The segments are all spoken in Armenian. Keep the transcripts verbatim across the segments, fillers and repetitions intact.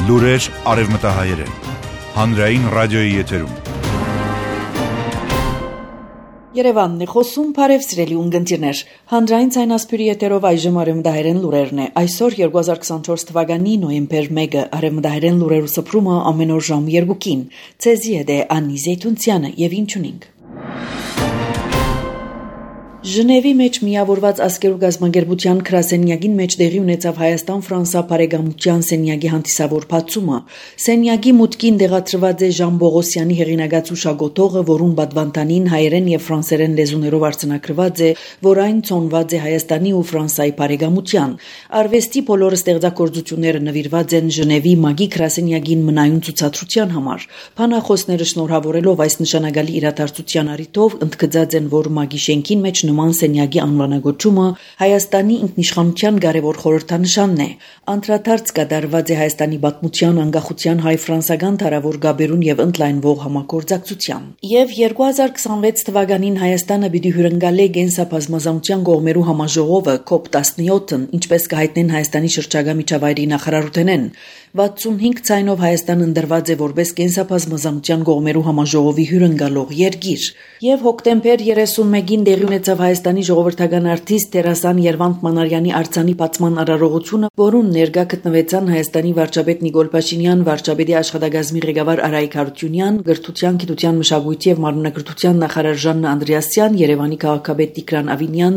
Լուրեր արևմտահայերեն, հանրային ռադիոյի եթերում։ Երևանն է խոսում, բարև սիրելի ունկնդիրներ, հանրային ցայնասպյուրի եթերով այժմ արևմտահայերեն լուրերն է, այսօր երկու հազար քսանչորս թվականի նոյեմբեր մեկը, արևմտահայերեն լուրերու սփռումը ամեն օր ժամ երկուին, ցեզի հետ է Անի Զեյթունցյանը եւ ինչ ունենք։ Ժնևի մեջ միավորված ազգերու գազագերբության քրասենյակին մեջ դեղի ունեցավ Հայաստան-Ֆրանսա բարեկամության սենյակի հանդիսավոր բացումը։ Սենյակի մուտքին դեղացրված է Ժան Բողոսյանի հեղինակած ուշագոտողը, որուն բադվանտանին հայերեն եւ ֆրանսերեն լեզուներով արձանագրված է, որ այն ցոնված է Հայաստանի ու Ֆրանսայի բարեկամության։ Արվեստի բոլոր ստեղծագործությունները նվիրված են Ժնևի մագի քրասենյակին մնայուն ցուցադրության համար։ Փանախոսները շնորհավորելով այս նշանակալի իրադարձության առիթով ընդգծած են, որ մագի շենքին մեջ նման սենյակի անվանագոչումը Հայաստանի ինքնիշխանության կարևոր խորհրդանշանն է։ Անդրադարձ կատարված է Հայաստանի պատմության, անկախության, հայ-ֆրանսական թարավոր գաբերուն եւ ընդլայնվող համագործակցության։ Եվ երկու հազար քսանվեց թվականին Հայաստանը պիտի հյուրընկալի Գենսաբազմազանության կողմերու համաժողովը կոպ տասնյոթն, ինչպես կհայտնեն Հայաստանի շրջակա միջավայրի նախարարութենեն։ վաթսունհինգ ցայնով Հայաստանը ընդրված է որպես Գենսաբազմազանության կողմերու համաժողովի հյուրընկալող երկիր։ Եվ հոկտեմբեր երեսունմեկին դեղի ունեցավ Հայաստանի ժողովրդական արտիստ Տերասան Երվանդ Մանարյանի արձանի բացման արարողությունը, որուն ներկա գտնվեցան Հայաստանի վարչապետ Նիկոլ Փաշինյան, վարչապետի աշխատակազմի ղեկավար Արայիկ Հարությունյան, գրթության, գիտության, մշակույթի եւ մարմնագրթության նախարար Ժաննա Անդրեասյան, Երևանի քաղաքապետ Տիգրան Ավինյան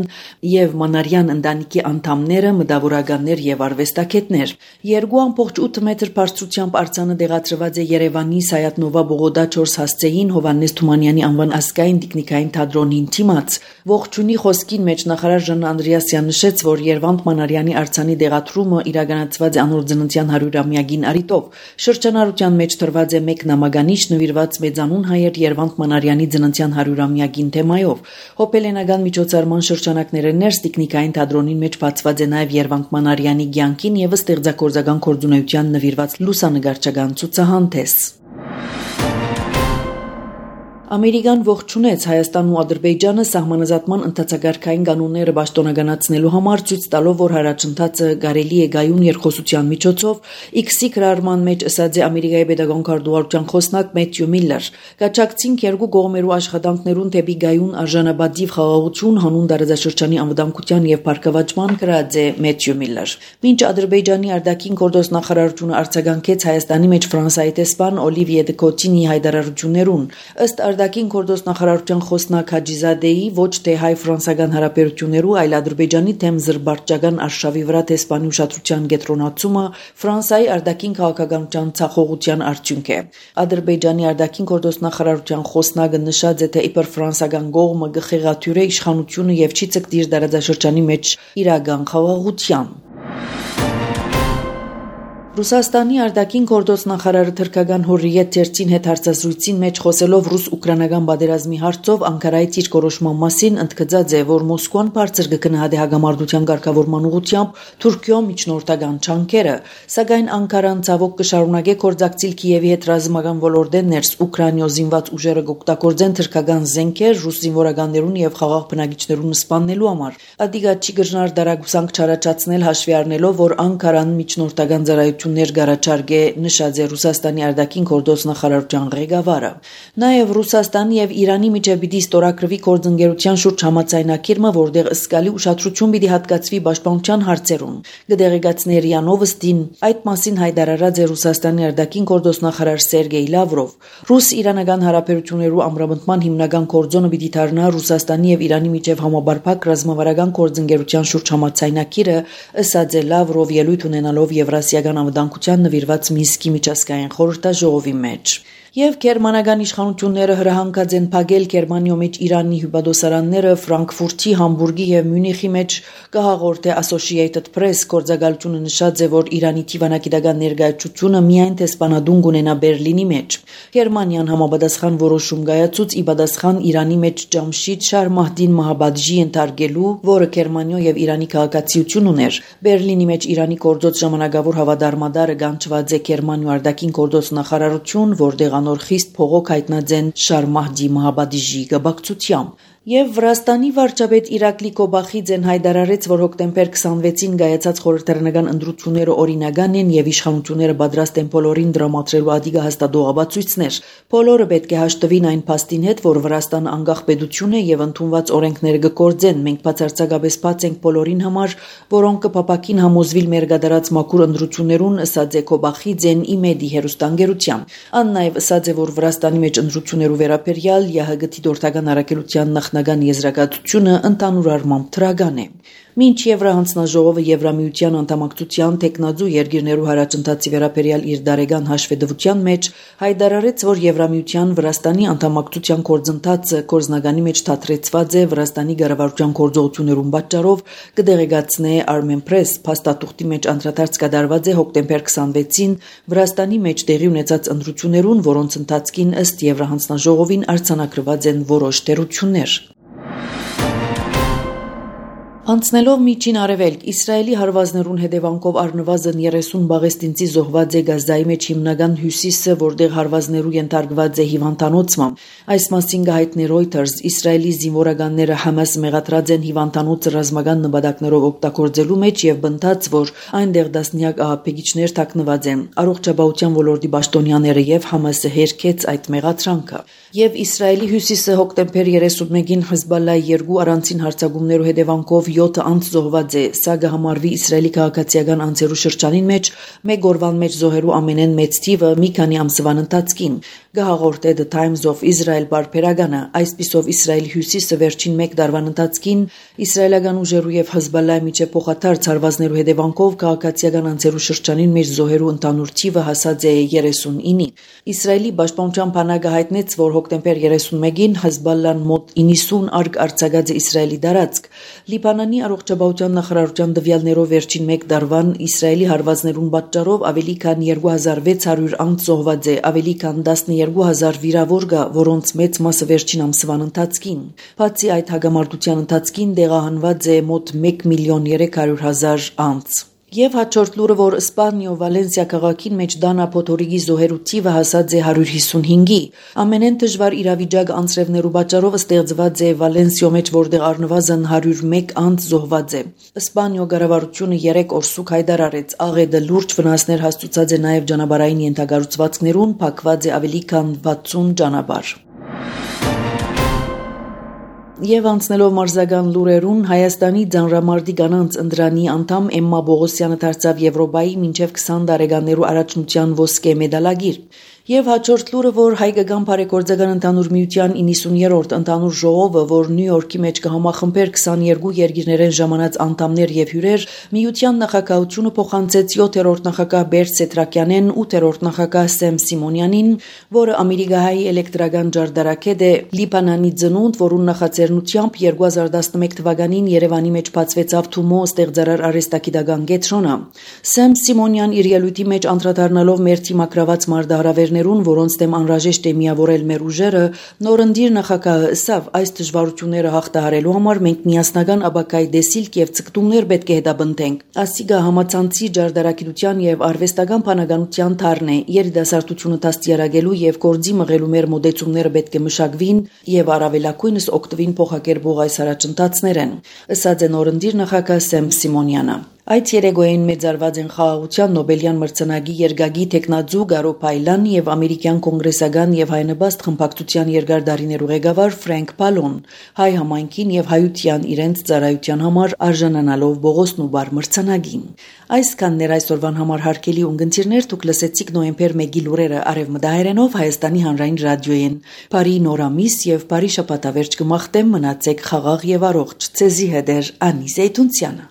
եւ Մանարյան ընտանիքի անդամները, մտավորականներ եւ արվեստագետներ։ երկու ամբողջ ութ մետր բարձրությամբ արձանը դեղացրված է Երևանի Սայաթ-Նովա Բողոդա չորս հասցեին Հովհաննես Թումանյանի անվան ազգային տեխնիկային թատրոնին դիմաց։ Ողջունի խոսքին մեջ նախարար Ժաննա Անդրեասյան նշեց, որ Երվանդ Մանարյանի արձանի դեղացումը իրականացված է անոր ծննդյան հարյուրամյակին առիթով։ Շրջանառության մեջ տրված է մեկ նամականիշ նվիրված մեծանուն հայեր Երվանդ Մանարյանի ծննդյան հարյուրամյակին թեմայով։ Հոպելենական միջոցառման շրջանակները ներս տեխնիկային թատրոնին մեջ բացված է նաև Երվանդ Մանարյանի կյանքին եւ ստեղծագործական գործունեության նվիրված լուսանկարչական ցուցահանդես։ Ամերիկան ողջունեց Հայաստանն ու Ադրբեջանը սահմանազատման ընթացակարգային կանոնները պաշտոնականացնելու համար, ցույց տալով, որ հարաճընթացը կարելի է գայուն երկխոսության միջոցով։ X-ի գրառման մեջ ըսած է Ամերիկայի պետական քարտուղարության խոսնակ Մեթյու Միլլեր։ Կաչակցին երկու կողմերու աշխատանքներուն դեպի գայուն արժանապատիվ խաղաղություն հանուն տարածաշրջանի անվտանգության եւ բարգավաճման գրած է Մեթյու Միլլեր։ Մինչ Ադրբեջանի արտաքին գործ նախարարությունը արձագանքեց Հայաստանի մեջ Ֆրանսիայի տեսփան Օլիվիե դե Կոտինի հայտարարություններուն, ըստ արտաքին գործ նախարարության խոսնակ Հաջիզադեի ոչ թե հայ-ֆրանսական հարաբերություններու, այլ Ադրբեջանի թեմ զրբարճական արշավի վրա տեսփանի ուշադրության կենտրոնացումը Ֆրանսիայի արտաքին քաղաքականության ցախողության արդյունք է։ Ադրբեջանի արտաքին գործ նախարարության խոսնակը նշած է, թե իբր ֆրանսական կողմը գխեղաթյուրե իշխանությունը եւ չի ցկտիր տարածաշրջանի մեջ իրական խաղաղության։ Ռուսաստանի արտաքին գործ նախարարը թրքական Հուրրիետ թերթին հետ հարցազրույցին մեջ խոսելով ռուս-ուկրաինական պատերազմի հարցով Անկարայից իր կորոշման մասին ընդգծած է, որ Մոսկվան բարձր կգնահատի հագամարտության ղեկավարման ուղղությամբ Թուրքիո միջնորդական չանքերը, սակայն Անկարան ցավոք կշարունակի գործակցել Կիևի հետ ռազմական ոլորտեն ներս Ուկրաինո զինված ուժերը կօգտագործեն թրքական զենքեր ռուս զինվորականներուն եւ խաղաղ բնակիչներուն սպանելու համար։ Ադիգա չի գժնար դարագուսանք չարաճացնել հաշվի առնելով, որ Անկարան միջնորդական ծառայություն ներգարաչարգե նշած է Ռուսաստանի արտաքին գործ նախարարության ղեկավարը։ Նաև Ռուսաստանի եւ Իրանի միջև պիտի ստորագրվի գործընկերության շուրջ համաձայնագիրը, որտեղ ըսկալի ուշադրություն պիտի հատկացվի պաշտպանության հարցերուն։ Գդերեգացների անովստին այդ մասին հայտարարած է Ռուսաստանի արտաքին գործ նախարար Սերգեյ Լավրով։ Ռուս-իրանական հարաբերություններու ամրապնդման հիմնական կորձոնը պիտի դառնա Ռուսաստանի եւ Իրանի միջև համաբարփակ ռազմավարական գործընկերության շուրջ համաձայնագիրը, ըսած է Լավրով ելույթ ունենալով Եվրասիական անվտանգության նվիրված Մինսկի միջազգային խորհրդաժողովի մեջ։ Եվ գերմանական իշխանությունները հրահանգած են փակել Գերմանիո մեջ Իրանի հյուպատոսարանները Ֆրանկֆուրտի, Համբուրգի եւ Մյունիխի մեջ կհաղորդե Associated Press գործակալությունը նշած է, որ Իրանի թիվանագիտական ներկայացությունը միայն տեսփանադուն կունենա Բերլինի մեջ։ Գերմանիան համապատասխան որոշում կայացուց ի պատասխան Իրանի մեջ Ջամշիդ Շարմահդին Մահաբադժի ընթարգելու, որը Գերմանիո եւ Իրանի քաղաքացիություն ուներ։ Բերլինի մեջ Իրանի գործոց ժամանակավոր հավատարմադարը գանչված է Գերմանիո արտաքին գործ նախարարություն, որտեղ անոր խիստ փողոք հայտնած են Շարմահդի Մահաբադիժի գաբակցությամբ։ Եվ Վրաստանի վարչապետ Իրակլի Կոբախիձեն հայտարարեց, որ հոկտեմբեր քսանվեցին կայացած խորհրդարանական ընտրությունները օրինական են եւ իշխանությունները պատրաստ են բոլորին դրամատրելու ադիգա հաստատող ապացույցներ։ Բոլորը պետք է հաշտվին այն փաստին հետ, որ Վրաստանը անկախ պետություն է եւ ընդունված օրենքները կգործեն։ Մենք բացարձակապես բաց ենք բոլորին համար, որոնք կփապակին համոզվիլ մեր գդարած մաքուր ընտրություններուն, ըսած է Կոբախիձեն իմեդի հերոստանգերության։ Ան նաեւ ըսած է, որ Վրաստանի մեջ ընտրություններու վերաբերյալ ԵՀԳ-ի դորտական առաքելության նախնական եզրակացությունը ընդհանուր առմամբ թրագան է։ Մինչ Եվրահանձնաժողովը Եվրամիության անդամակցության տեխնազու երկիրներու հարաճընթացի վերաբերյալ իր դարեգան հաշվետվության մեջ հայտարարեց, որ Եվրամիության Վրաստանի անդամակցության գործընթացը կորզնականի մեջ թատրեցված է Վրաստանի կառավարության գործողություններուն պատճառով, կդեղեկացնե Armen Press փաստաթուղթի մեջ անդրադարձ կատարված է հոկտեմբեր քսանվեցին Վրաստանի մեջ տեղի ունեցած ընտրություններուն, որոնց ընթացքին ըստ Եվրահանձնաժողովին արձանագրված են որոշ տերություններ։ Անցնելով միջին արևելք, Իսրայելի հարվածներուն հետևանքով առնվազն երեսուն բաղեստինցի զոհված է Գազայի մեջ հիմնական հյուսիսը, որտեղ հարվածներու ենթարկված է հիվանդանոցը։ Այս մասին կհայտնի Reuters, Իսրայելի զինվորականները Համաս մեղադրած են հիվանդանոցը ռազմական նպատակներով օգտագործելու մեջ եւ բնդած, որ այնտեղ դասնյակ ահաբեկիչներ թաքնված են։ Առողջապահության ոլորտի պաշտոնյաները եւ Համասը հերքեց այդ մեղադրանքը։ Եվ Իսրայելի հյուսիսը հոկտեմբեր երեսունմեկին Հեզբոլլայի երկու առանցին հարձակումներու հետևանքով յոթ անձ զոհված է, սա կհամարվի Իսրայելի քաղաքացիական անձերու շրջանին մեջ մեկ օրվան մեջ զոհերու ամենեն մեծ թիվը մի քանի ամսվան ընթացքին։ Գահաղորդե The Times of Israel բարբերականը, այսպիսով Իսրայելի հյուսիսը վերջին մեկ տարվան ընթացքին իսրայելական ուժերու եւ Հեզբոլլայի միջեւ փոխադարձ հարվածներու հետևանքով քաղաքացիական անձերու շրջանին մեջ զոհերու ընդհանուր թիվը հասած է երեսունինի։ Իսրայելի պաշտպանության բանակը հայտնեց, որ հոկտեմբեր երեսունմեկին Հեզբոլլան մոտ իննսուն արկ արձակած է Իսրայելի տարածք։ Լիբանանի առողջապահության նախարարության տվյալներով վերջին մեկ տարվան Իսրայելի հարվածներուն պատճառով ավելի քան երկու հազար վեց հարյուր անձ զոհված է, ավելի քան տասներկու հազար վիրավոր կա, որոնց մեծ մասը վերջին ամսվան ընթացքին։ Բացի այդ հագամարտության ընթացքին տեղահանված է մոտ մեկ միլիոն երեք հարյուր հազար անձ։ Եվ հաջորդ լուրը, որ Իսպանիո Վալենսիա քաղաքին մեջ Դանա Փոթորիկի զոհերու թիվը հասած է հարյուր հիսունհինգի։ Ամենեն դժվար իրավիճակ անձրևներու պատճառով ստեղծված է Վալենսիո մեջ, որտեղ առնվազն հարյուր մեկ անձ զոհված է։ Իսպանիո կառավարությունը երեք օրսուկ հայտարարեց, աղետը լուրջ վնասներ հասցուցած է նաև ճանապարհային ենթակառուցվածքներուն, փակված է ավելի քան վաթսուն ճանապարհ։ Եվ անցնելով մարզական լուրերուն, Հայաստանի Ձանրամարտի կանանց ընտրանի անդամ Էմմա Բողոսյանը դարձավ Եվրոպայի մինչև քսան տարեկաններու առաջնության ոսկե մեդալագիր։ Եվ հաջորդ լուրը, որ հայկական բարեգործական ընդհանուր միության իննսուներորդ ընդհանուր ժողովը, որ Նյու Յորքի մեջ կհամախմբեր քսաներկու երկիրներեն ժամանած անդամներ եւ հյուրեր, միության նախագահությունը փոխանցեց յոթերորդ նախագահ Բերտ Սեթրակյանեն, ութերորդ նախագահ Սեմ Սիմոնյանին, որը ամերիկահայի էլեկտրական ջարդարակետ է, Լիբանանի ծնունդ, որուն նախաձեռնությամբ երկու հազար տասնմեկ թվականին Երևանի մեջ բացվեցավ Թումո ստեղծարար արհեստագիտական կենտրոնը։ Սեմ Սիմոնյան իր ելույթի մեջ անդրադառնալով մեր թիմակրաված մարտահրավերներ որոնց դեմ անհրաժեշտ է միավորել մեր ուժերը, նորընտիր նախագահը ըսավ, այս դժվարությունները հաղթահարելու համար մենք միասնական ապակայի դեսիլք եւ ցկտումներ պետք է հետապնդենք։ Ասիգա համացանցի ջարդարակիտության եւ արվեստական բանականության թարն է, երիտասարդությունը դաստիարակելու եւ գործի մղելու մեր մոդեցումները պետք է մշակվին եւ առավելակույնս օգտվին փոխակերպող այս առաջընթացներեն, ըսած է նորընտիր նախագահ Սեմ Սիմոնյանը։ Այդ երեկոյին մեծարված են խաղաղության Նոբելյան մրցանակի երկագի տեխնաձու Գարո Փայլան եւ ամերիկյան կոնգրեսական եւ հայնաբաստ խմբակցության երկար դարիներու ղեկավար Ֆրենկ Պալոն, հայ համայնքին եւ հայության իրենց ծառայության համար արժանանալով Բողոսն ու բար մրցանակին։ Այսքաններ այսօրվան համար հարգելի ունգընտիրներ, դուք լսեցիք նոյեմբեր մեկի լուրերը արևմտահայերենով Հայաստանի հանրային ռադիոյեն։ Բարի նորամիս եւ բարի շաբաթավերջ կմաղթեմ, մնացեք խաղաղ եւ առողջ։ Ցեզի հետ է Անի Զեյթունցյանը։